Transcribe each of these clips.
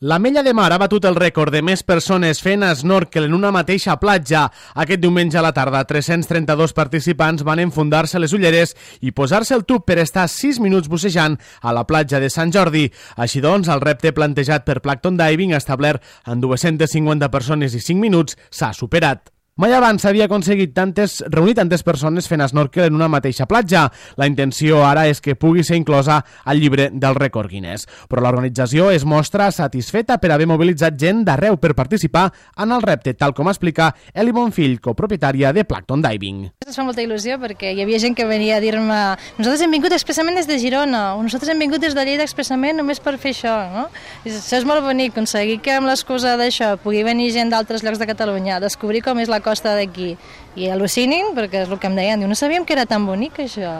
L'Ametlla de Mar ha batut el rècord de més persones fent snorkel en una mateixa platja. Aquest diumenge a la tarda, 332 participants van enfundar-se les ulleres i posar-se el tub per estar 6 minuts bussejant a la platja de Sant Jordi. Així doncs, el repte plantejat per Plankton Diving, establert en 250 persones i 5 minuts, s'ha superat. Mai abans s'havia aconseguit reunir tantes persones fent snorkel en una mateixa platja. La intenció ara és que pugui ser inclosa al llibre del rècord Guinness. Però l'organització es mostra satisfeta per haver mobilitzat gent d'arreu per participar en el repte, tal com explica Eli Bonfill, copropietària de Plankton Diving. Ens fa molta il·lusió perquè hi havia gent que venia a dir-me nosaltres hem vingut expressament des de Girona o nosaltres hem vingut des de Lleida expressament només per fer això, no? Això és molt bonic, aconseguir que amb l'excusa d'això pugui venir gent d'altres llocs de Catalunya a descobrir com és la costa d'aquí i al·lucinin, perquè és el que em deien, no sabíem que era tan bonic això.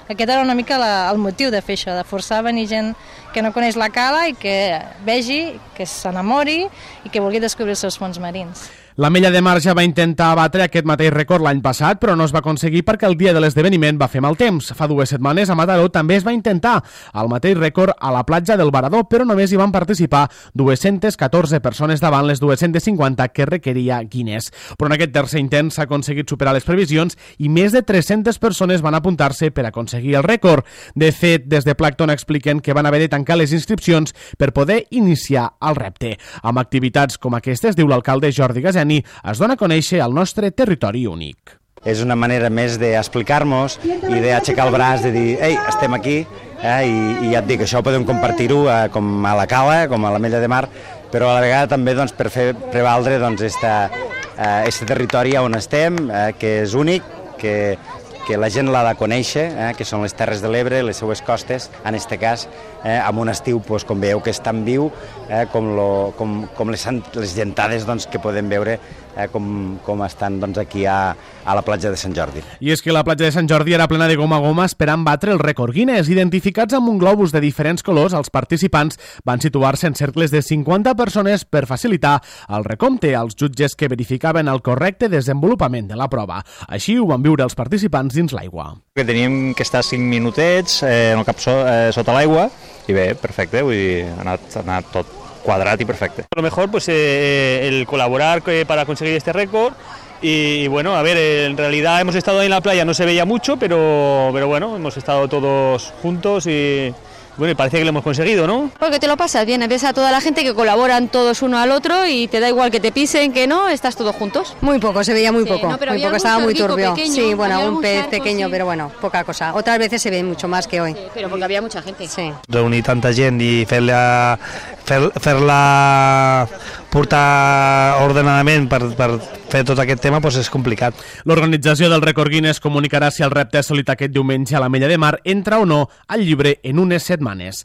Aquest era una mica el motiu de fer això, de forçar a venir gent que no coneix la cala i que vegi, que s'enamori i que vulgui descobrir els seus fons marins. L'Ametlla de Mar ja va intentar abatre aquest mateix rècord l'any passat, però no es va aconseguir perquè el dia de l'esdeveniment va fer mal temps. Fa 2 setmanes a Mataró també es va intentar el mateix rècord a la platja del Varador, però només hi van participar 214 persones davant les 250 que requeria Guinness. Però en aquest tercer intent s'ha aconseguit superar les previsions i més de 300 persones van apuntar-se per aconseguir el rècord. De fet, des de Plankton expliquen que van haver de tancar les inscripcions per poder iniciar el repte. Amb activitats com aquestes, diu l'alcalde Jordi Gasset, es dona a conèixer el nostre territori únic. És una manera més d'explicar-nos i d'aixecar el braç, de dir, ei, estem aquí, i ja et dic, això podem compartir-ho com a la cala, com a l'Ametlla de Mar, però a la vegada també per fer prevaldre aquest territori on estem, que és únic, que la gent l'ha de conèixer, que són les Terres de l'Ebre, les seues costes, en aquest cas, amb un estiu, com veieu, que és tan viu, com les gentades que podem veure com estan aquí a la platja de Sant Jordi. I és que la platja de Sant Jordi era plena de goma a goma esperant batre el rècord Guinness. Identificats amb un globus de diferents colors, els participants van situar-se en cercles de 50 persones per facilitar el recompte als jutges que verificaven el correcte desenvolupament de la prova. Així ho van viure els participants dins l'aigua. Teníem que estar 5 minutets en el cap sota l'aigua i bé, perfecte, vull dir, ha anat tot cuadrat y perfecto. Lo mejor pues el colaborar para conseguir este récord y bueno, a ver, en realidad hemos estado ahí en la playa, no se veía mucho, pero bueno, hemos estado todos juntos y bueno, y parece que lo hemos conseguido, ¿no? Porque te lo pasas bien, ves a toda la gente que colaboran todos uno al otro y te da igual que te pisen, que no, estás todos juntos. Muy poco, se veía muy poco, no, muy poco, estaba muy turbio. Pequeño, sí, bueno, un pez charco, pequeño, sí. Pero bueno, poca cosa. Otras veces se ve mucho más que hoy. Sí, pero porque había mucha gente. Sí. Reunir tanta gent i fer-la portar ordenadament per fer tot aquest tema és complicat. L'organització del rècord Guinness comunicarà si el repte assolit aquest diumenge a l'Ametlla de Mar entra o no al llibre en unes setmanes.